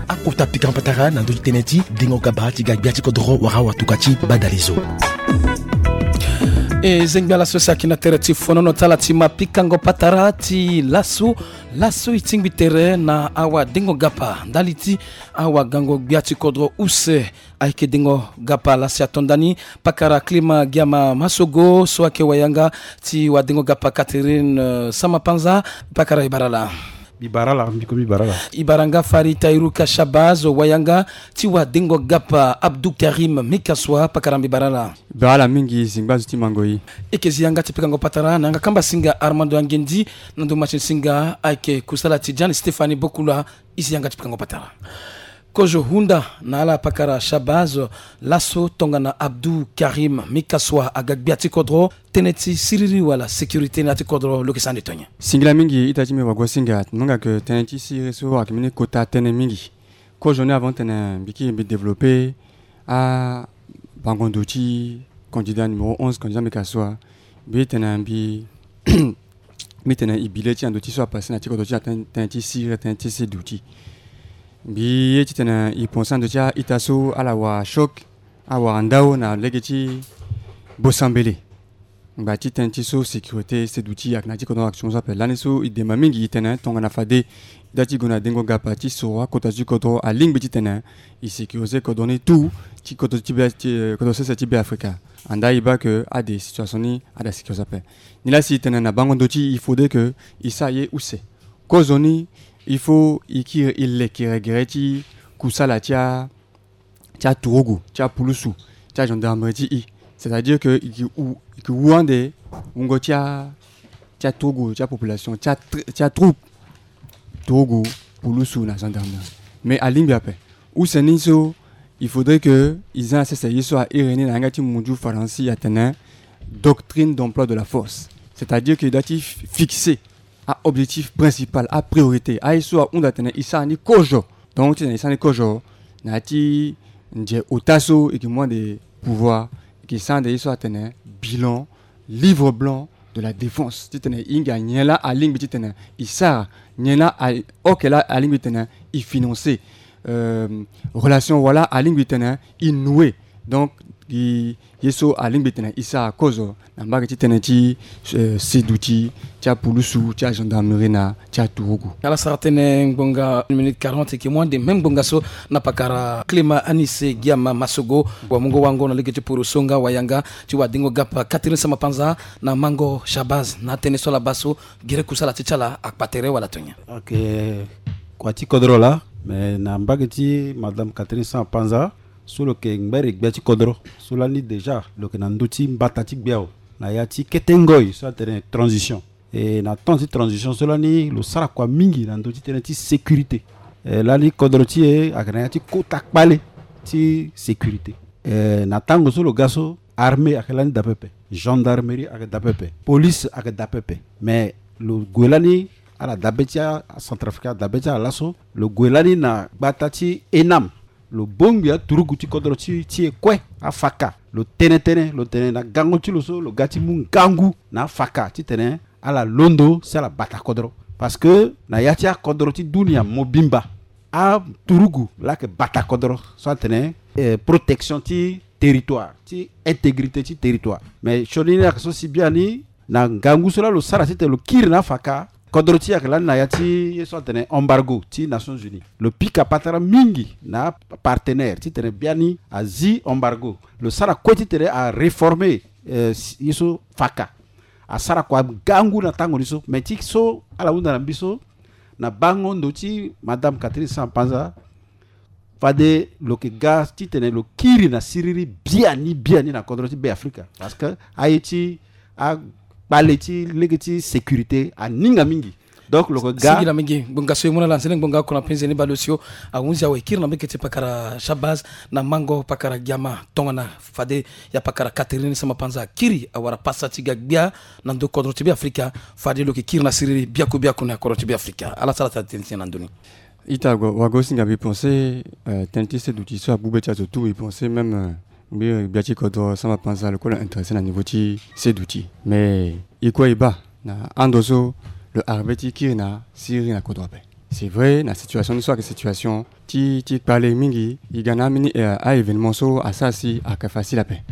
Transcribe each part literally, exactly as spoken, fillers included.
Akota pikango patara na ndö ti tënë ti dengo gaba ti ga gbia ti kodro wala watuka ti badalezo. E zengbi ala so si ayeke na tere ti fonono ti ala ti ma pikango patara ti laso. Laso e tingbi tere na awadengo gapa ndali ti awagango gbia ti kodro use. Ayeke dengo gapa lasi ato ndani pakara Klima Giama Masogo so ayeke wayanga ti wadengo gapa Catherine, eh, Samapanza. Pakara e bara ala. Mbi bara ala, mbi ko mbi bara ala. E bara nga Fari Tairuka Shabaz, wayanga ti wadengo gapa Abdou Karim Mikaswa. Pakara mbi bara ala. Bara ala mingi, zingba zo ti mango e. E yeke zi yanga ti pikango patara na yanga kamba singa Armando Angendi, na ndo match ni singa ayeke kusala ti Jean Stéphanie Bokula. E zi yanga ti pikango patara. Kozo hunda na ala pakara Shabaz, laso tongana Abdou Karim Mikaswa aga gbia ti kodro, tënë ti siriri wala sécurité na ya ti kodro lo yeke sara ande tonye. Singila mingi ita ti mbi wago singa, mo hinga ke tënë ti siriri so ayeke mbeni kota tënë mingi. Kozo ni avant tene mbi kiri mbi développé abango ndo ti candidat numéro onze, candidat Mikaswa. Mbi tene mbi mbi tene e bi le ti ando ti so apassé na ti kodro ti atene, tënë ti siriri, tënë ti seduti. Mbi ye titene e pensé ando ti a-ita so ala wara choc, awara ndao na lege ti Bosambele. Ngba ti tënë ti so sécurité, seduti ayeke na ya ti kodro action so ape. Lani so e demba mingi e tene tongana fade e da ti gue na dengo gapa ti soro akota ti kodro alingbi titene e sécurisé kodro ni tout ti kodro ti be, ti, eh, kodro sese ti Beafrika. Andaa e baa ke ade situation ni ada sécurisé ape. Nilaa si e tene na bango ndo ti e, il faudrait que e sara ye use. Kozoni, il faut e kiri e leke gere ti kusala ti a, ti aturugu, ti apulusu, ti agendarmerie ti e. C'est-à-dire que e ke wu, e ke wu ande wungo ti a, ti aturugu, ti apopulation, ti a, ti atroupe. Turugu, pulusu na gendarmerie. Mais alingbi ape. Use ni so, il faudrait que e za na sese ye so a iri ni na yanga ti mundu Faransi atene doctrine d'emploi de la force. C'est-à-dire que e da ti fixer a-objectif principal, a-priorité, aye so ahunda atene e sara ni kozo. Donc titene e sara ni kozo na ya ti nze ota so e ke mu ande pouvoir, e ke sara ande ye so atene bilan, livre blanc de la défense, titene e hinga nyen laa alingbi titene e sara, nyen laa a, ok laa alingbi titene e financer, euh, relation wala alingbi titene e nouer. Donc e, ye so alingbi titene e sara kozo na mbage ti tënë ti, euh, seduti, ti apulusu, ti agendarmerie na ti aturugu. Ala sara tënë ngbonga une minute quarante, e ke mu ande même ngbonga so na pakara Clément Anissé Giama Massogo, wamungo wango na lege ti poroso nga wayanga ti wadengo gapa Catherine Samba-Panza na mango Shabazz na atënë so ala baa so gere kusala ti ti ala akpa tere wala tonye. Ok, kua ti kodro laa, me na mbage ti madame Catherine Samba-Panza, so lo yeke ngbere gbia ti kodro, so lani déjà lo yeke na ndö ti mbata ti gbia na ya ti kete ngoi so atene transition. E na temps ti transition so lani lo sara kua mingi na ndö ti tënë ti sécurité. E lani kodro ti e ayeke na ya ti kota kpale ti sécurité. E na tango so lo ga so, armée ayeke lani daa pepe, gendarmerie ayeke daa pepe, police ayeke daa pepe. Mais lo gue lani ala dabe ti acentrafricain, adabe ti ala laso, lo gue lani na gbata ti ENAM. Lo bongbi aturugu ti kodro ti, ti e kue, afaka. Lo tene tënë, lo tene na gango ti lo so lo ga ti mu ngangu na afaka titene ala londo si ala bata kodro. Parce que na ya ti akodro ti dunia mobimba, aturugu laa ayeke bata kodro so atene, eh, protection ti territoire, ti intégrité ti territoire. Mais sioni ni ayeke so si biani na ngangu so laa lo sara titene lo kiri na afaka, kodro ti e ayeke lani na ya ti ye so atene embargo ti Nations Unies. Lo pika patara mingi na apartenaire titene biani azi embargo. Lo sara kue titene aréformer, eh, ye so faka. Asara kua ngangu na tango ni so. Me ti so ala hunda na mbi so, na bango ndo ti madame Catherine Samba-Panza, fade lo yeke ga titene lo kiri na siriri biani biani na kodro ti Beafrika. Parce que aye ti akpale ti lege ti sécurité aninga mingi. Donc lo yeke ga. Singila mingi. Ngbonga so e mu na ala nzene ngbonga oko na penze ni baleosio. Ahunzi awe kiri na mbeke ti pakara Shabazz na mango pakara Giama tongana fade ya pakara Catherine Samba-Panza akiri awara pasa ti ga gbia na ndo kodro ti Beafrika. Fade lo yeke kiri na siriri biaku biaku na kodro ti Beafrika. Ala sara tënë ti e na ndö ni. Ita, wago singa mbi pensé, eh, tënë ti seduti so abu be ti azo tout, mbi pensé même, eh, mbi gbia ti kodro Samba-Panza lo kue lo intéressé na niveau ti seduti. Mais e kue e baa na ando so lo arrivé ti kiri na Syrie na kodro ape. C'est vrai, na situation ni so ayeke situation ti ti kpale mingi, e ga na ambeni eh, a-événement so asara si ayeke facile ape.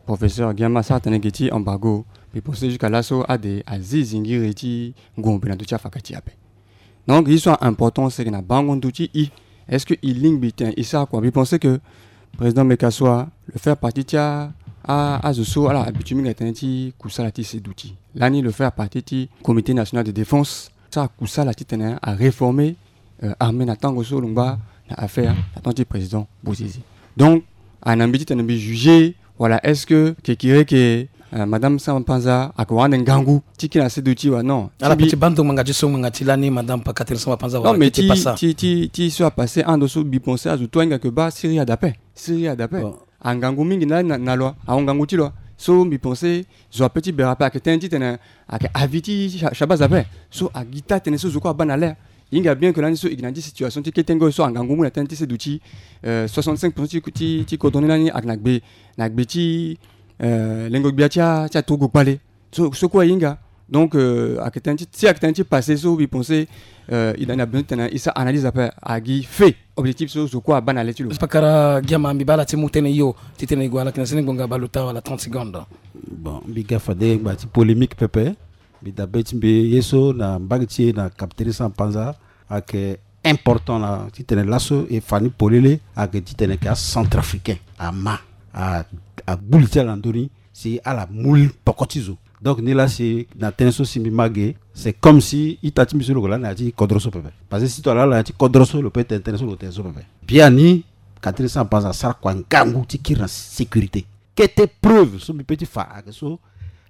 Professeur Giama asara tënë ge ti embargo. Mbi pense jusqu'à laso ade azi zingiri ti ngombe na ndö ti afaka ti e ape. Donc ye so a important seke na bango ndö ti e, est-ce que e lingbi tene e sara kua? Mbi pense que président Mekasua lo faire partie ti a, a, azo so ala habitué mingi na tënë ti kusala ti seduti. Lani lo faire partie ti comité national de défense, so akusala titene aréformer euh, armée na tango so lo ngba na affaire na temps ti président Bozizé. Donc ana mbi titene mbi juger wala est-ce que kekire ke euh, madame Samba Panza ayeke wara ande ngangu ti kiri na seduti wala non? Ala pe ti baa ndo ngbanga ti so ngbanga ti lani madame Catherine Samba Panza wala ti ti ti ti so apassé ando so mbi pense azo tout ahinga ke baa Syrie ade ape. Syrie ade ape. Angangu mingi na, na, na lo, ahon ngangu ti lo. So mbi pense zo ape ti bere ape ayeke tënë titene ayeke avis ti Sha- Shabazz ape. So agi taa tënë so zo kue abaa na le. E hinga bien ke lani so e gi na ya ti situation ti kete ngoi so angangu mu na tënë ti seduti euh, soixante-cinq pour cent ti, ti, ti kodro ni lani ayeke na gbe, na gbe ti euh, lengo gbia ti a, ti aturugu kpale. So, so kue e hinga. Donc euh, ayeke tënë ti, si ayeke tënë ti passé so mbi pense euh, e na besoin titene e sara analyse ape, agi fait objectif so zo kue abaa na le ti lo. Pakara Giama, mbi baa ala ti mu tënë hio titene e gue ala yeke na seni ngbonga bale ota wala trente secondes. Bon, mbi ga fade ngbanga ti polémique pepe. Mbi dabe ti mbi ye so na mbage ti e na Catherine Samba Panza ayeke important na titene laso e fa ni polele ayeke titene ayeke acentrafricain ama a, agbu li ti ala na ndö ni si ala mu poko ti zo. Donc nilaa si na tënë so si mbi ma ge, c'est comme si ita ti mbi so lo yeke laa na ya ti kodro so pepe. Parce que si to alaa na ya ti kodro so lo peut tene tënë so lo tene so pepe. Biani Catherine Samba Panza asara kua ngangu ti kiri na sécurité. Kete preuve so mbi peut ti fa ayeke so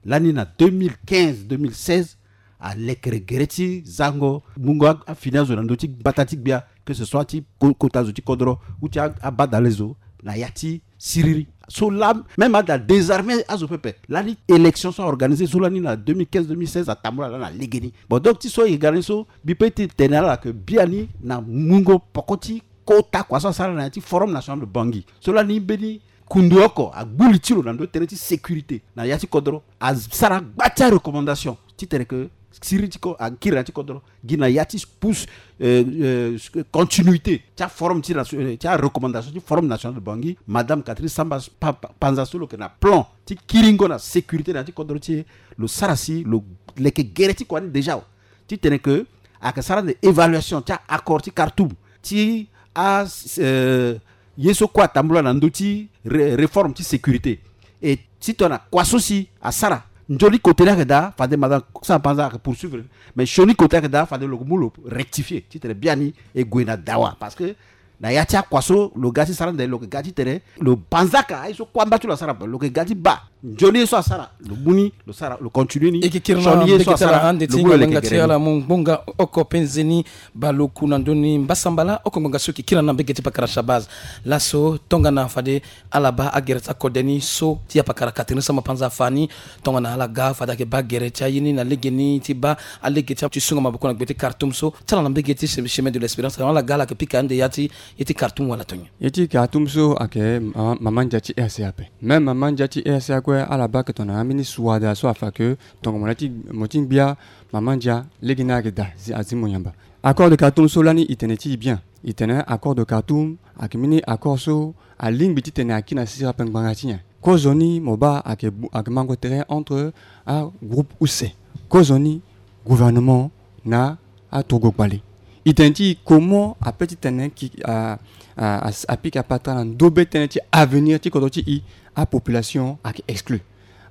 lani na deux mille quinze deux mille seize alekere gere ti zango mungo a- afini azo na ndö ti mbata ti gbia, que ce soit ti ko- kota zo ti kodro ou ti a- abadale zo na ya ti siriri. So laa même ade adésarmé azo pepe. Lani élection so aorganisé so lani na deux mille quinze deux mille seize atambula laa na legeni. Bon, donc ti so e ga ni so mbi peut ti tene na ala ke biani na mungo poko ti kota kua so asara na ya ti Forum National de Bangui so lani mbeni kundu oko agbu li ti lo na ndö ti tënë ti sécurité na ya ti kodro, asara gba ti arecommandation titene ke siriri ti ko- akiri na ya ti kodro gi na ya ti pousse euh, euh, continuité ti aforum ti nation- euh, ti arecommandation ti Forum National de Bangui, madame Catherine Samba Pa- Pa- Panza so lo yeke na plan ti kiringo na sécurité na ya ti kodro ti e. Lo sara si lo leke gere ti kua ni déjà titene ke ayeke sara ande évaluation ti a-accord ti Khartoum, ti a euh, ye so kue atambula na ndö ti ré- réforme ti sécurité. E titene kua so si asara nzoni kote ni ayeke daa, fade madame Samba Panza ayeke poursuivre, mais sioni kote ayeke daa fade lo mu lo rectifier titene biani e gue na dawa. Parce que na ya ti akua so lo ga ti sara ande lo yeke ga titene lo banzaka aye so kue amba ti lo asara, lo yeke ga ti baa nzoni ye so asara lo mu ni, lo sara, lo continue ni. E yeke kiri na mbege ti ala ande ti ngbanga ti ala mu ngbonga oko penze ni bale oku na ndö ni mbasambala oko ngbanga so e yeke kiri na mbege ti pakara Shabazz. Laso tongana fade ala baa agere ti akode ni so ti apakara Catherine Samba Panza afa ni, tongana ala ga fade ayeke baa gere ti aye ni na lege ni ti baa alege ti asungo maboko na gbe ti Khartoum so ti ala na mbege ti Chemin de l'Espérance, ala ga ala yeke pika ande ya ti ye ti Khartoum wala tonye? Ye ti Khartoum so ayeke mama, mama ndia ti R C A ape. Même mama ndia ti R C A kue ala baa ayeke tongana ambeni suada so afa ke tongana mo na ti mo ti ngbia mama ndia lege ni ayeke daa, azi mo yamba. Accord de Khartoum so lani e tene ti e bien. E tene accord de Khartoum ayeke mbeni accord so alingbi titene akiri na siriri ape ngbanga ti nyen? Kozoni mo baa ayeke mango tere entre agroupe use, kozoni gouvernement na aturugu kpale. E tene ti e comment ape titene ki a, a, a, apika patara na ndobe tënë ti avenir ti kodro ti e. Apopulation ayeke exclu,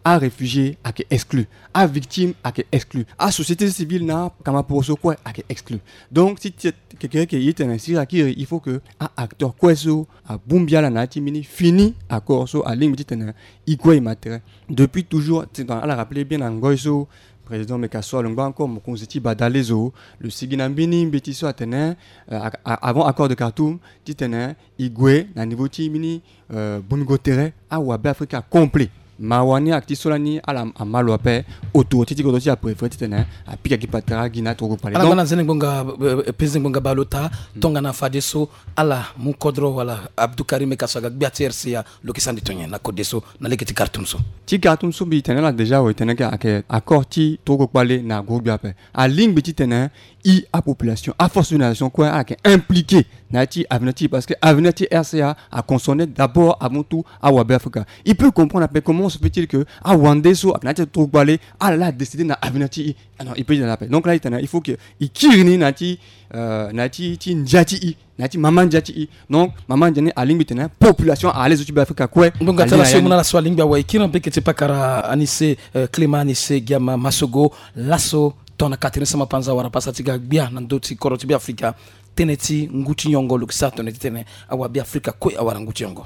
aréfugié ayeke exclu, avictime ayeke exclu, asociété civile na kamaporo so kue ayeke exclu. Donc si ti kekereke e tene siriri akiri, il faut que a-acteur kue so abongbi ala na ya ti mbeni fini accord so alingbi titene e kue e ma tere. Depuis toujours titene ala rappeler bien na ngoi so président Meka so alongba encore mokonzi ti badale zo, lo sigi na mbeni mbeti so atene euh, a- a- avant accord de Khartoum titene e gue na niveau ti mbeni euh, bongo tere awabe Afrika complet. Mawa ni ayeke ti so lani ala ama lo ape. Autorité ti kodro ti apréféré titene apika gi patara gi na tokokpale. Ala ngba na nzene ngbonga, eh, penze ngbonga baleota tongana fadeso ala mu kodro wala Abdou Karim Meka so aga gbia ti R C A lo yeke sara ndo ti nyen na kode so na lege ti Khartoum so? Ti Khartoum so mbi tene ala déjà awe, tene ayeke accord ti tokokpale na groupe gbia ape. Alingbi titene i apopulation, aforce de nation kue ala yeke impliqué na ya ti avenir ti i, parce que avenir ti R C A aconcerné d'abord avant tout awabe Afrika. I peut comprendre ape comment se fait-il que awande so ayeke na ya ti tokokpale ala la adécidé na avenir ti i. Ah non, i peut dire na ape. Donc là i tene il faut que i kiri ni na ya ti, euh, na ya ti, ti ndia ti i, na ya ti mama ndia ti i. Donc mama ndia ni alingbi tene population à l'aise ti Beafrika kue. Ngbonga ti ala so e mu na ala so alingbi awe, e kiri na mbege ti pakara Anissé, euh, Clément Anissé Giama Massogo, laso tongana Catherine Samba-Panza awara pasa ti ga gbia na ndö ti kodro ti Beafrika. Tënë ti ngu ti nyongo lo yeke sara tongana titene awabe Afrika kue awara ngu ti nyongo.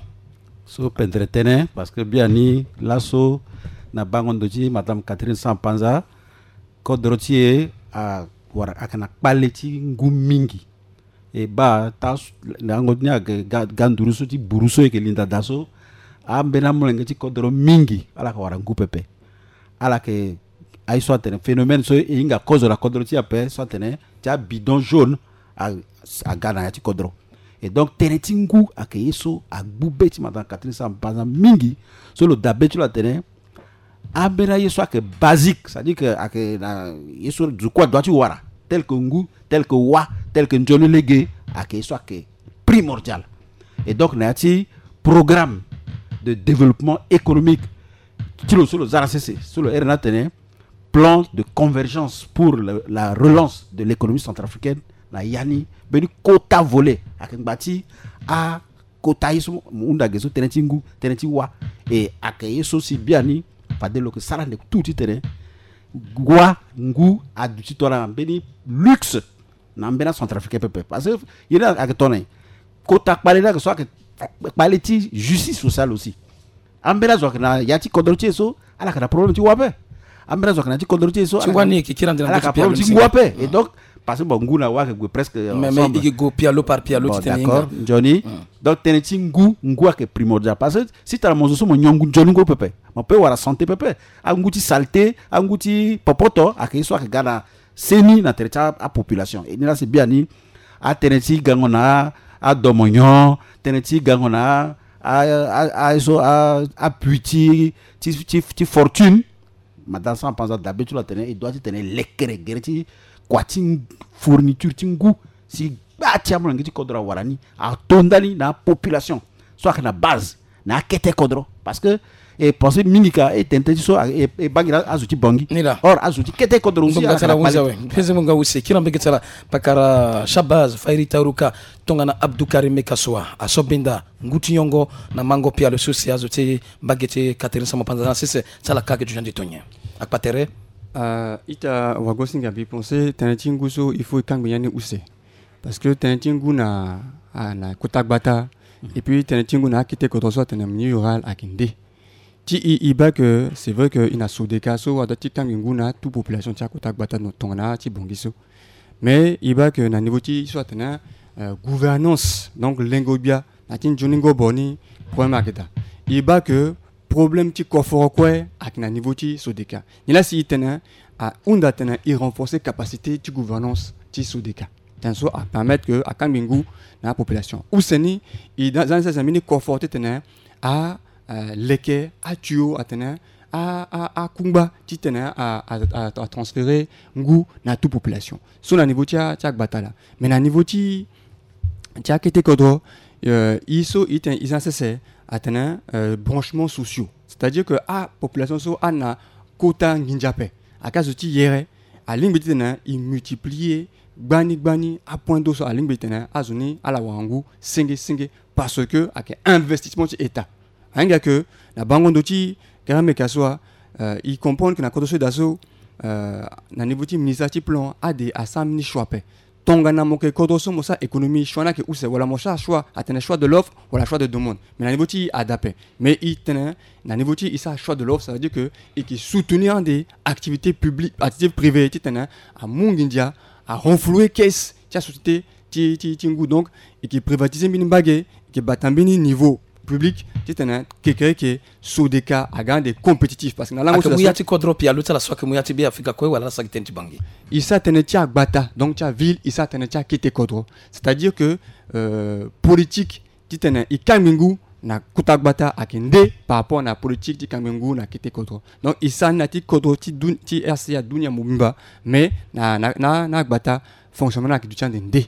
So pendere tënë, parce que biani laso na bango ndo ti madame Catherine Samba-Panza, kodro ti e awara, ayeke na kpale ti ngu mingi. E baa taa lango ni ayeke ga, ga nduru so ti buru so e yeke linda daa so, ambeni amolenge ti kodro mingi ala yeke wara ngu pepe. Ala yeke aye so atene phénomène so e hinga kozo na kodro ti e ape so atene ti abidon jaune a, aga na ya ti kodro. Et donc tënë ti ngu ayeke ye so agbu be ti madame Catherine Samba-Panza mingi. So lo daa be ti lo atene ambeni aye so ayeke basique, c'est-à-dire que ayeke na ye so zo kue adoit ti wara, tel que ngu, tel que wâ, tel que nzoni lege, ayeke ye so ayeke primordial. Et donc na ya ti programme de développement économique ti lo so lo za na sese, so lo iri ni atene plan de convergence pour le, la relance de l'économie centrafricaine, na ya ni mbeni kota volet ayeke ngba ti a kota ye so mo hunda ge so, tënë ti ngu, tënë ti wâ. E ayeke ye so si biani fade lo yeke sara ande tout titene wâ, ngu aduti tongana mbeni luxe na ambeni acentrafricain pepe. Parce que ye ni ayeke tongana nyen? Kota kpale ni ayeke so ayeke kpale ti justice sociale aussi. Ambeni azo ayeke na ya ti kodro ti e so ala yeke na problème ti wâ ape. Ambeni azo ayeke na ya ti kodro ti e so ti ala wani yeke kiri ande na ala yeke na problème ti ngu ape. Et donc parce que bon, ngu na wâ ayeke gue presque mais mais ensemble. I yeke gue pialo par pialo. Bon, ti tene d'accord, nzoni. Donc tënë ti ngu, ngu ayeke primordial. Parce que si tara mo zo so mo nyon ngu nzoni ngu pepe, mo peut wara santé pepe. Angu ti saleté, angu ti popoto ayeke ye so ayeke ga na seni na tere ti apopulation. E ni la si biani atënë ti gango na adomonyon, tënë ti gango na a, a, a, so a, apui ti, ti, ti, ti fortune. Madame Samba-Panza dabe ti lo atene e doit titene e lekere gere ti kua ti fourniture ti ngu si gba ti amolenge ti kodro awara ni, ato ndani na apopulation so ayeke na base na akete kodro. Parce que e pensé mingi ka e tene tënë ti so e, e bangi na azo ti Bangui. Ni la. Or azo ti kete kodro aussi. Ngbonga ti ala hunzi awe. Pese ngbonga use kiri na mbege ti ala pakara Shabaz Fayri Taruka tongana Abdou Karim Meka so aso benda ngu ti nyongo na mango pialo so si azo ti mbage ti Catherine Samba-Panza na sese ti ala ka ayeke dunia nde to nyen? Akpa tere. Ah, ita wagosinga mbi pensé tënë ti ngu so il faut e kangbi ni use. Parce que tënë ti ngu na, ah, na kota gbata. Et puis tënë ti ngu na akete kodro so atene milieu rural ayeke nde. Ti i, i baa que c'est vrai que i na SODECA so adoit ti kangbi ngu na tout population ti akota gbata tongana ti Bangui so. Mais i baa que na niveau ti so atene, euh, gouvernance, donc lengo gbia na ti nzoni ngobo ni, problème ayeke daa. I baa que problème ti koforo kue ayeke na niveau ti SODECA. Nilaa si i tene ahunda atene i renforcer capacité ti gouvernance ti SODECA. Tënë so apermettre que akangbi ngu na apopulation. Use ni, i za ni sese mbeni koforo titene a, euh, leke atio atene a, a, akungba titene a, a, a, atransférer ngu na tout population. So na niveau ti a, ti agbata laa. Mais na niveau ti, ti akete kodro, euh, i so i tene i za ni sese atene, euh, branchements sociaux. C'est-à-dire que apopulation so ana kota nginza ape. Ayeke azo ti yere, alingbi titene i multiplier gbani gbani apoint d'eau so alingbi titene azo ni ala wara ngu senge senge, parce que ayeke investissement ti État. Ahinga que na bango ndo ti Karim Meka so, euh, i comprendre que na kodro so e daa so, euh, na niveau ti ministère ti plan ade asara mbeni choix ape. Tongana mo yeke kodro so mo sara économie, choix ni ayeke use, wala mo sara choix atene choix de l'offre wala choix de demande. Mais na niveau ti i ade ape. Mais i tene na niveau ti i sara choix de l'offre, ça veut dire que i yeke soutenir ande activité publique, activité privée titene amu nginza, a renflouer caisse ti asociété ti, ti, ti ngu. Donc i yeke privatiser mbeni mbage, i yeke bata mbeni niveau public titene kekereke Sodeka aga ande compétitif, parce que na lango ake so mu ya ti kodro pialo ti ala so ake mu ya ti Be Afrika kue wala ala sara gi tënë ti Bangui. E sara tënë ti agbata, donc ti aville, e sara tënë ti akete kodro. C'est-à-dire que euh, politique titene e kangbi ngu na kota gbata ake nde par rapport na politique ti kangbi ngu na kete kodro. Donc e sara ni na ti kodro ti, dun, ti R C A dunia mobimba, mais na, na, na, na agbata fonctionnement na ake duti ande nde.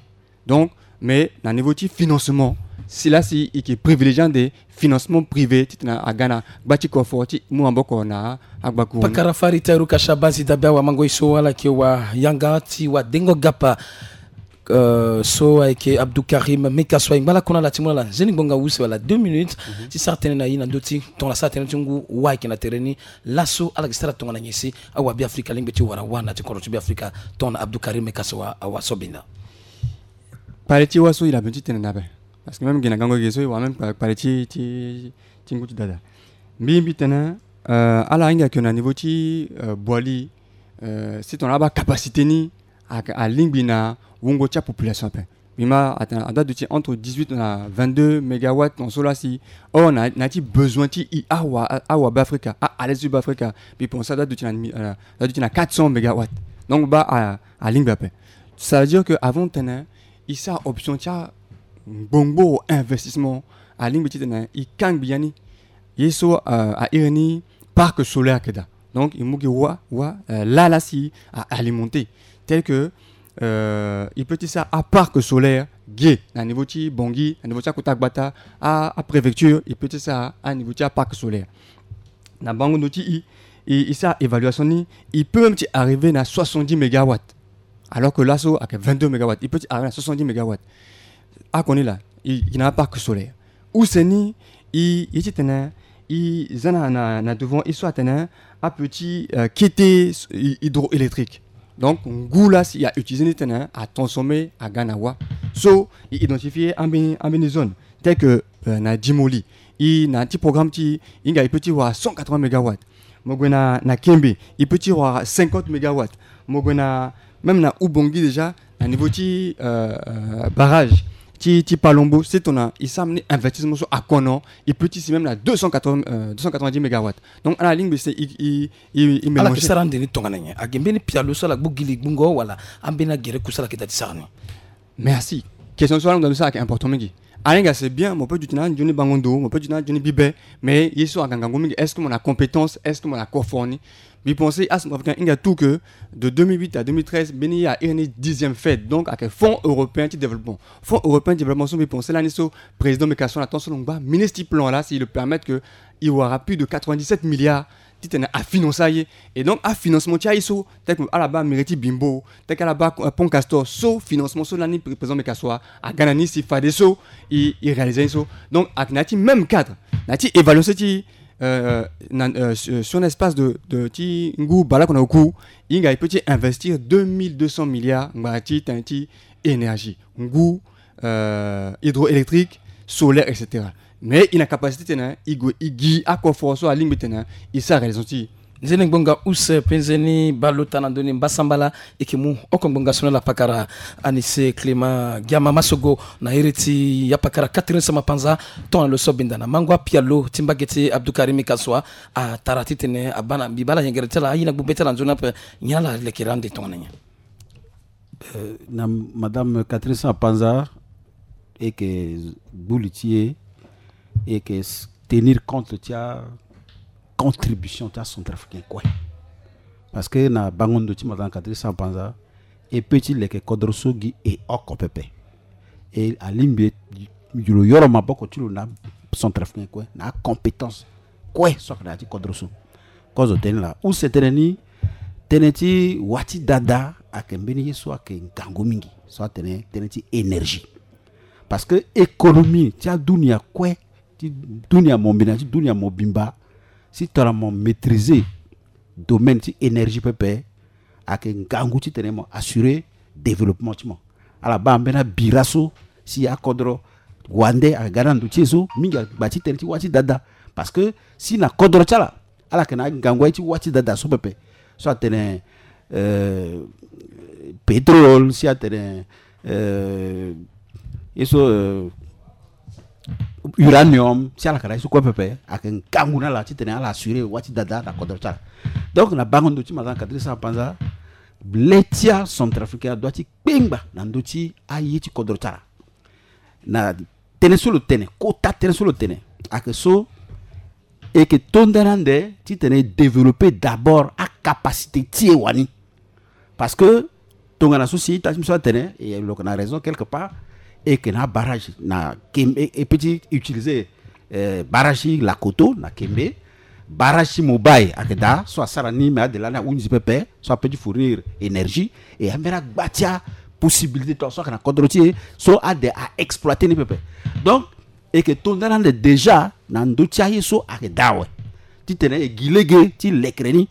Donc mais na niveau ti financement, si la si e ke privilégier ande financement privé titene aga na gba ti kofo ti mu maboko na agbakuru. Pakara Fari Tairu Kasha Bazi Dabe, awamango ye so ala yeke wa yanga ti wadengo gapa. Euh, so ayeke Abdou Karim Meka so aye ngba lakue na ala ti mu na ala nzeni ngbonga use wala deux minutes ti sara tënë na ye na ndö ti tongana sara tënë ti ngu wâ ayeke na tere ni. Laso ala yeke sara tongana nyen si awabeafrika alingbi ti wara wâ na ya ti kodro ti Beafrika? Tongana Abdou Karim Meka so awa so binda. Kpale ti wâ so e na besoin ti tene na ape. Parce que même gi na gango gi so e wara même kpale ti, ti, ti ngu ti dada. Mbi, mbi tene euh, ala hinga yeke na niveau ti euh, Boali, euh, si tongana abaa capacité ni, a, alingbi na wungo ti apopulation ape. Mbi ma atene adoit duti entre dix-huit na vingt-deux mégawatts dans so la si. Or na, na ya ti besoin ti e awa, awa Beafrika, a, à l'est du Beafrika. Mbi pense adoit duti na, euh, adoit duti na quatre cents mégawatts. Donc baa a, alingbi ape. Ça veut dire que avant tene e sara option ti angbongboro investissement, alingbi titene e kangbi ya ni. Ye so euh, a iri ni parc solaire ayeke daa. Donc e mu gi wâ, wâ euh, la la si a alimenté. Tel que euh, e peut ti sara aparc solaire ge na niveau ti Bangui, na niveau ti akota gbata, a, apréfecture, e peut ti sara aniveau ti aparc solaire. Na bango ndo ti e, e, e sara évaluation ni, e peut même ti arriver na soixante-dix mégawatts. Alors que laso ayeke vingt-deux mégawatts, e peut ti arriver na soixante-dix mégawatts. Akoni la e, e na aparc solaire. Use ni e, e titene e za na, na, na devant e so atene apeut ti euh, kete s-, hy-, hydroélectrique. Donc ngu la si a utiliser ni titene a transformer aga na wâ. So e identifier ambeni, ambeni zone tel que euh, na Dimoli, e na ya ti programme ti e, e hinga e peut ti wara cent quatre-vingts mégawatts. Mo gue na, na Kembe, e peut ti wara cinquante mégawatts. Mo gue na, même na Ubangui déjà, na niveau ti euh, euh, barrage ti, ti Palombo, si tongana e sara mbeni investissement so akono, e peut ti si même na deux cent quatre-vingts, euh, deux cent quatre-vingt-dix mégawatts. Donc ala lingbi si e, e, e, e mélanger. Ala yeke sara ande ni tongana nyen? Ayeke mbeni pialo so ala gbu gi li gbungo wala ambeni agere ku so ala yeke daa ti sara ni? Merci. Question so ala hunda ni so ayeke important mingi. Ala hinga c'est bien, mo peut duti na anzoni bango ndo, mo peut duti na anzoni bibe, mais ye so ayeke ngangu mingi, est-ce que mo na compétence, est-ce que mo na kofo ni? Mbi pense acentrafricain hinga tout que de deux mille huit à deux mille treize mbeni ye a iri ni dixième FED, donc ayeke fonds européen ti développement. Fonds européen ti développement so mbi pense lani so président Meka so na temps so lo ngba ministre ti plan la si le permettre que e wara plus de quatre-vingt-dix-sept milliards titene a financer aye. Et donc afinancement ti aye so, tel que ala baa mairie ti Bimbo, tel que ala baa euh, pont Castor, so financement so lani pré-, président Meka so aga na ni si fadeso e, e réaliser aye so. Donc ayeke na ya ti même cadre, na ya ti évaluation ti euh, na, euh, sur, sur un espace de, de ti ngu baleoko na oku, e hinga e peut ti investir deux mille deux cents milliards ngbanga ti tënë ti énergie, ngu, euh, hydroélectrique, solaire, et cetera. Mais e na capacité titene e gue e gi akoforo so alingbi titene e sara réalisation ti e. Nzeni ngbonga use pe nzeni baleota na ndö ni mbasambala. E yeke mu oko ngbonga so na ala pakara Anise Clément Giama Masogo na iri ti apakara Catherine Samba Panza. Tongana lo so abinda na mango apialo ti mbage ti Abdou Karim Kassoua, atara titene abaa na mbi baa na yengere ti ala aye na gbu be ti ala na nzoni ape. Nyen ala lekere ande tongana nyen? Euh, na Madame Catherine Samba Panza, e yeke gbu li ti e, e yeke s-, tenir compte ti acontribution ti acentrafricain kue. Parce que na bango ndo ti Madame Catherine Samba Panza, e peut ti leke kodro so gi e oko pepe. E alingbi e lo yoro maboko ti lo na acentrafricain kue, na acompétence kue so ayeke na ya ti kodro so. Kozo tënë laa. Use tënë ni, tënë ti wâ ti dada ayeke mbeni ye so ayeke ngangu mingi, so atene tënë ti énergie. Parce que économie ti adunia kue, ti dunia mobimba, ti dunia mobimba, si tongana mo maîtriser domaine ti énergie pepe, ayeke ngangu titene mo assurer développement ti mo. Ala baa mbeni abira so si akodro wande ayeke ga na ndo ti e so mingi, agba ti tënë ti wâ ti dada. Parce que si na kodro ti ala, ala yeke na angangu aye ti wâ ti dada so pepe, so atene euh, pétrole, si atene euh, ye so euh, uranium, ti ala ka na ye so kue pepe, ayeke ngangu na ala titene ala assurer wâ ti dada na kodro ti ala. Donc na bango ndo ti madame Catherine Samba-Panza, le tia centrafricain adoit ti kpengba na ndö ti aye ti kodro ti ala. Na tënë so lo tene, kota tënë so lo tene, ayeke so e yeke to nda na ande titene e développer d'abord acapacité ti e wani. Parce que tongana so si ita ti mbi so atene, e lo yeke na raison quelque part, e yeke na abarrage na Kembe, e, e peut ti utiliser, eh, barrage ti Lakoto na Kembe, barrage ti Mobaye ayeke daa, so asara ni me ade lani ahunzi pepe, so apeut ti fournir énergie, e ambeni agba ti apossibilité to so ayeke na kodro ti e, so ade a exploiter ni pepe. Donc e yeke to nda na ande déjà na ndö ti aye so ayeke daa awe, titene e gi lege ti lekere ni.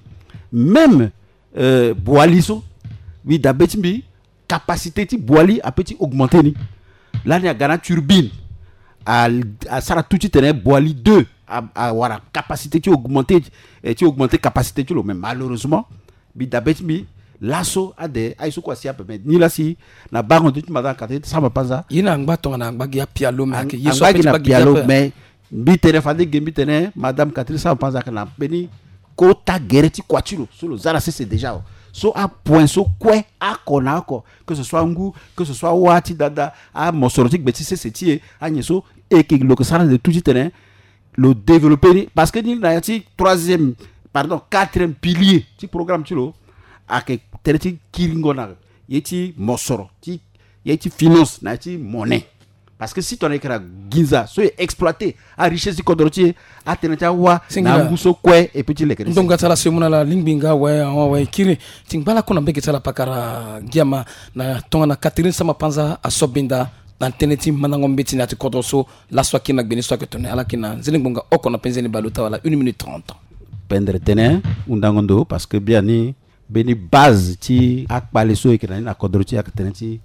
Même, euh, Boali so, mbi dabe ti mbi, capacité ti Boali apeut ti augmenter ni. Lani aga na turbine, a, asara tout titene Boali deux a, awara capacité ti augmenter, eh, ti augmenter capacité ti lo. Mais malheureusement, mbi dabe ti mbi, laso ade aye so kue asi ape. Mais nilaa si na bango ndo ti madame Catherine Samba-Panza, ye na angba tongana angba gi apialo, mais ayeke ye so angba apeut gi ti na pialo ape. Mais mbi tene fade ge, mbi tene madame Catherine Samba-Panza ayeke na mbeni kota gere ti kua ti lo so lo za na sese déjà awe. So apoint so kue, oko na oko, que ce soit ngu, que ce soit wâ ti dada, amosoro ti gbe ti sese ti e, anyen so, e yeke lo yeke sara de tout titene lo développer ni. Parce que ni na ya ti troisième, pardon, quatrième pilier ti programme ti lo, ayeke tere ti kiringo na ye ti mosoro, ti ye ti finance, na ye ti monnaie. Parce que si tongana e yeke na ginza so e exploiter arichesse ti kodro ti e, atënë ti awâ na ngu so kue e peut ti leke ni. Ndonga ti ala so e mu na ala lingbi nga awe, awe, awe, e kiri ti ngba lakue na mbege ti ala pakara Giama na tongana Catherine Samba-Panza aso binda na tënë ti mandango mbeti na ya ti kodro so. Laso akiri na gbe ni so ayeke tene ala kiri na nzene ngbonga oko na penze ni baleota wala une minute trente. Pendre tënë, hundango ndo, parce que biani mbeni base ti akpale so e yeke na ni na kodro ti e ayeke tënë ti,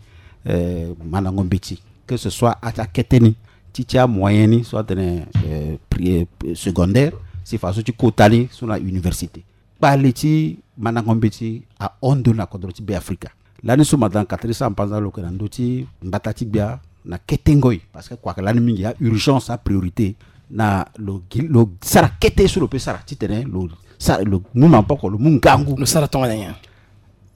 eh, mandango mbeti, que ce soit ati akete ni, ti ti amoyen ni so atene, eh, pri-, eh, secondaire, si faso ti kota ni so na université. Kpale ti mandango mbeti ahon ndo na kodro ti Beafrika. Lani so madame Catherine Samba-Panza lo yeke na ndö ti mbata ti gbia na kete ngoi, parce que kua ayeke lani mingi, aurgence, apriorité, na lo gi, lo sara kete so lo peut sara titene lo sara, lo mu maboko, lo mu ngangu. Lo sara tongana nyen?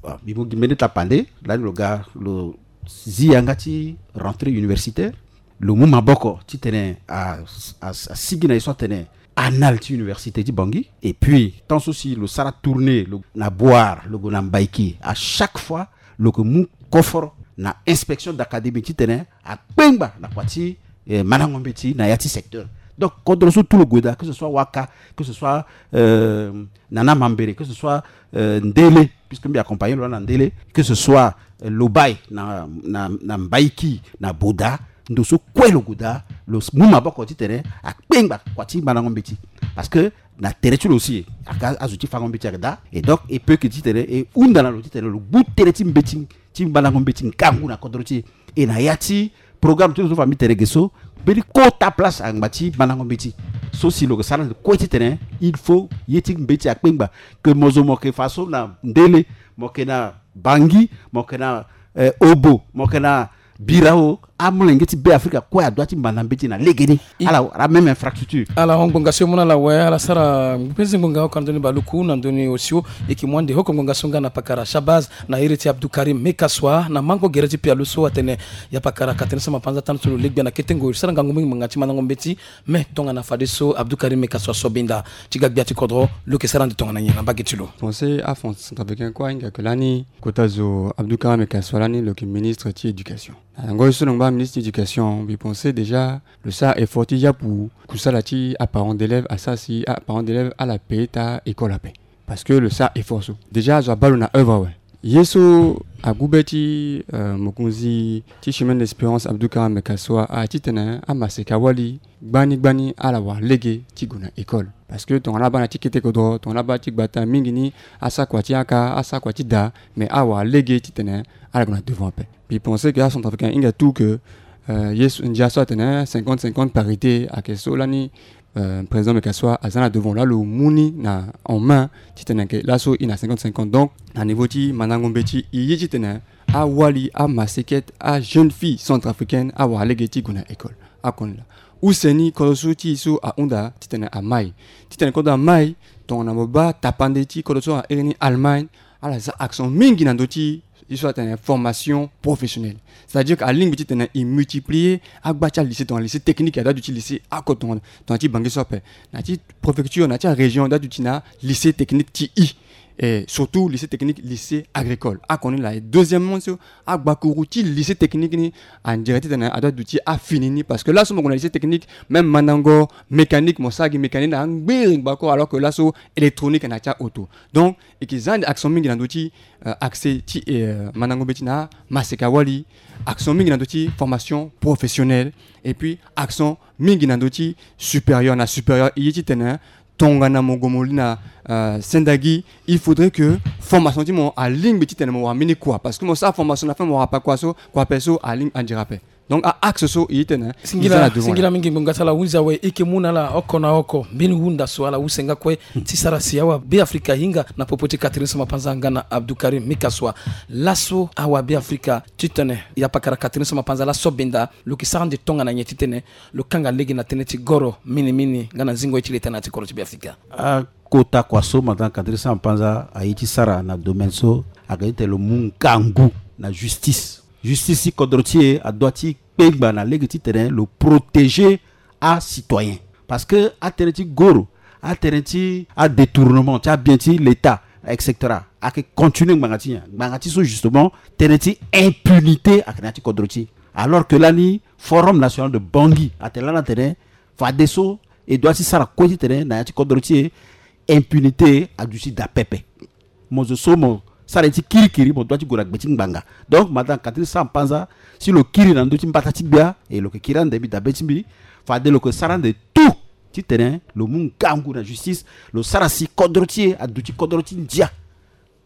Bon, mbi mu gi mbeni tapande, lani lo ga lo zi yanga ti rentrée universitaire, lo mu maboko titene a, a, asigi na ye so atene annales ti université ti Bangui. Et puis tant so si lo sara tournée, lo na Bouar, lo gue na Mbaïki, à chaque fois lo yeke mu koforo na inspection d'académie titene akpengba na kua ti, eh, mandango mbeti na ya ti secteur. Donc kodro so tout lo gue daa, que ce soit Waka, que ce soit, euh, Nana Mambere, que ce soit, euh, Ndele, puisque mbi accompagner lo na Ndele, que ce soit, euh, Lobaye na, na, na Mbaïki, na Boda, ndo so kue lo gue daa, lo s-, mu maboko titene akpengba kua ti mandango mbeti. Parce que na tere ti lo si aka azo ti fango mbeti ayeke daa. Et donc e peut que titene e hunda na lo titene lo gbu tere ti mbeti, ti mandango mbeti ngangu na kodro ti e. E na ya ti programme ti lo so fa mbi tene ge so, mbeni kota place angba ti mandango mbeti. So si lo yeke sara ande kue titene il faut ye ti mbeti akpengba. Que mo zo mo yeke faso na Ndele, mo yeke na Bangui, mo yeke na, eh, Obo, mo yeke na Birao, amolenge ti Beafrika kue adoit ti manda mbeti na legeni. I- ala wara même infrastructure. Ala hon ngbonga so e mu na ala awe, ala sara ngbonga oko na ndoni baluku na ndoni osio. E yeke mu ande hoko ngbonga so nga na pakara Shabazz na iri ti Abdou Karim Mekassoua na mango gere ti pialo so atene ya pakara Catherine Samba-Panza, tënë so lo legbia na kete ngoi, sara ngangu mingi ngbanga ti mandango mbeti. Mais tongana fadeso Abdou Karim Mekassoua so binda ti ga gbia ti kodro, lo yeke sara ande tongana nyen na mbage ti lo? Pensé aFrançafricain kue ahinga yeke lani kota zo Abdou Karim Mekassoua lani lo yeke ministre ti éducation. Na yango ye so lo ngba ministre ti éducation, mbi pensé déjà lo sara effort ti yapu kusala ti aparent d'élève asara si aparent d'élève ala payer ta école ape. Parce que lo sara effort so déjà azo abaa lo na œuvre awe. Ye so agu be ti, euh, mokonzi ti Chemin d'Espérance Abdou Karim Mekassoua a titene amaseka awali gbani gbani ala wara lege ti gue na école. Parce que tongana abaa na ti kete kodro, tongana abaa ti gbata mingi ni, asara kua ti yaka, asara kua ti daa, mais ala wara lege titene ala gue na devant ape. Mbi pensé que aCentrafricain ahinga tout que, euh, ye so, ndia so atene cinquante cinquante parité ayeke so lani, euh, président Mekassoua aza na devant, laa lo mu ni na en main titene ke laso e na cinquante cinquante. Donc na niveau ti mandango mbeti e ye titene awali amaseka ajeune fille centrafricaine awara lege ti gue na école. Akono laa. Use ni kodro so ti e so ahunda titene amai. Titene kodro amai, tongana mo baa tapande ti kodro so a iri ni Allemagne, ala za accent mingi na ndö ti e so atene formation professionnelle. C'est-à-dire que alingbi titene e multiplier agba ti alycée, tongana lycée technique, adoit duti lycée oko tongana, tongana ti Bangui so ape. Na ti préfecture, na ti arégion, adoit duti na lycée technique ti e. Et surtout lycée technique, lycée agricole. Akoni laa. Et deuxièmement so, agbakuru ti lycée technique ni, on dirait titene adoit duti afini ni, parce que laso mo gue na lycée technique, même mandango mécanique, mo sara gi mécanique na ngbiri ngbako, alors que laso électronique na ti auto. Donc e ke za ande accent mingi na ndö ti, euh, accès ti, euh, mandango mbeti na maseka-wali, accent mingi na ndö ti formation professionnelle, et puis accent mingi na ndö ti supérieur. Na supérieur, e ye titene tongana mo gue mo li na, euh, sendagi, il faudrait que formation ti mo alingbi titene mo wara mbeni kua, parce que mo sara formation na fin mo wara pa kua so, kua ape so alingbi, on dirait ape. Donc a axe so e ye titene e za na devant. Singila mingi ngbonga ti ala. Hunzi awe, e ke mu na ala oko na oko mbeni hunda so ala use nga kue ti sara si awa Beafrika ahinga na popo ti Catherine Samba-Panza nga na Abdoukarim Mekassoua. Laso awa Beafrika titene ya pakara Catherine Samba-Panza la so benda, lo ke sara ande tongana nyen titene lo kanga lege na tënë ti goro minimini nga na zingo ye ti leta na ya ti kodro ti Beafrika? Akota kua so madame Catherine Samba-Panza aye ti sara na domaine so, ayeke titene lo mu ngangu na justice. Justice ti kodro ti e adoit ti kpengba na lege titene lo protéger acitoyen. Parce que atënë ti goro, atënë ti adétournement ti abien ti l'État, et cetera, ayeke continuer ngbanga ti nyen? Ngbanga ti so justement tënë ti impunité ayeke na ya ti kodro ti e. Alors que lani Forum National de Bangui atene lani atene fadeso e doit ti sara kue titene na ya ti kodro ti e impunité aduti daa pepe. Mo zo so mo sara ye ti kirikiri, mo doit ti gue na gbe ti ngbanga. Donc madame Catherine Samba-Panza, si lo kiri na ndö ti mbata ti gbia, e lo yeke kiri ande mbi, dabe ti mbi, fade lo yeke sara ande tout titene lo mu ngangu na justice, lo sara si kodro ti e aduti kodro ti ndia,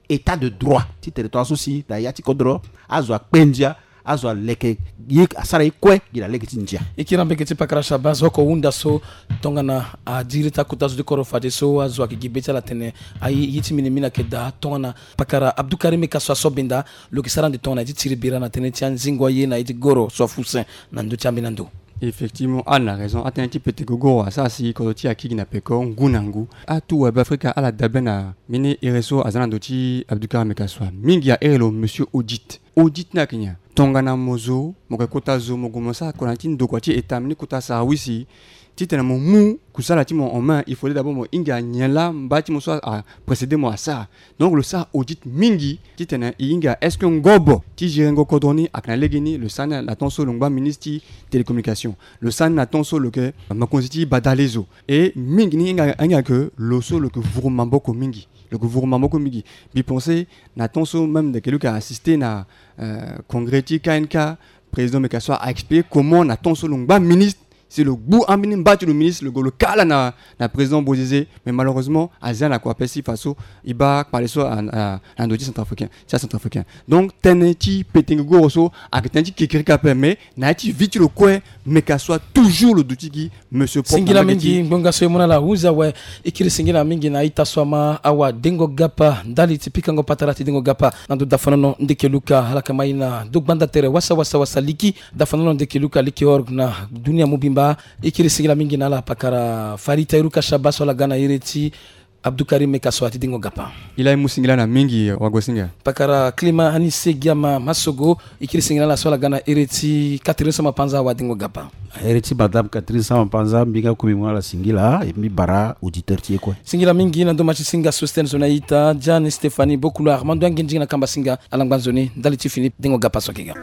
état de droit, titene tongaso si na ya ti kodro azo akpe ndia, azo aleke ye, asara ye kue gi na lege ti ndia. E kiri ambeke ti pakara Shabas, oko hunda so tongana adiri ti akota zo ti kodro fadeso azo ayeke gi be ti ala atene aye ye ti minimini ayeke daa. Tongana pakara Abdoukarim Mekassoua so benda, lo yeke sara ande tongana ye ti tiri bira na tënë ti anzingo aye na ye ti goro so afusen na ndö ti ambeni ando? Effectivement, ala na raison. Atënë ti pete gogoro asara si kodro ti e akiri gi na peko ngu na ngu. Atuwa Beafrika ala dabe na mbeni ere so aza na ndö ti Abdoukarim Mekassoua. Mingi ahere lo monsieur Audit. Audit ni ayeke nyen? Tongana mo zo, mo yeke kota zo, mo gue mo sara kua na ya ti ndokua ti État, mbeni kota sarawisi, titene mo mu kusala ti mo en main, il faudrait d'abord mo hinga nyen laa mba ti mo so a précéder mo asara. Donc lo sara audit mingi titene e hinga est-ce que ngobo ti gérer ngo kodro ni ayeke na lege ni. Lo sara ni na temps so lo ngba ministre ti télécommunication. Lo sara ni na temps so lo yeke mokonzi ti badale zo. Et mingi ni hinga, hinga ke lo so lo yeke vuru maboko mingi. Lo yeke vuru maboko mingi. Mbi pense na temps so même ndeke lo yeke assister na, euh, congrès ti K N K, président Mekassoua a expliquer comment na temps so lo ngba ministre, si lo gbu ambeni mba ti lo ministre, lo gue lo kâ ala na, na président Bozizé. Mais malheureusement aza na kua ape si faso e baa kpale so a, a, na ndö ti centrafricain, ti acentrafricain. Donc tënë ti pete gogoro so ayeke tënë ti kekerika ape, mais na ya ti vie ti lo kue, Mekassoua toujours lo duti gi monsieur propre. Singila mingi ngbonga so e mu na ala. Hunzi awe, e kiri singila mingi na a-ita so ama, awa Dengo Gapa, ndali ti pikango patara ti Dengo Gapa na ndo dafanono ndeke luka. Ala yeke ma e na ndo gbanda tere wasa wasa wasa liki, dafanono ndeke luka liki orgue na dunia mobimba. E kiri singila mingi na ala pakara Farita Iruka Shaba so ala ga na iri ti Abdoukarim Mekassoua ti Dengo Gapa. E la e mu singila na mingi, wagosinga. Pakara Klima Anise Giama Masogo, e kiri singila na ala so ala ga na iri ti Catherine Samba-Panza, awa Dengo Gapa. Iri ti madame Catherine Samba-Panza, mbi nga kue mbi mu na ala singila, e mbi bara auditeur ti e kue. Singila mingi na ndo ma ti singa Sostène Zonaïta, Diane Stéphanie Bokula, Armando Angendinga na kamba singa, ala ngba nzoni ndali ti fini, Dengo Gapa so ayeke ga.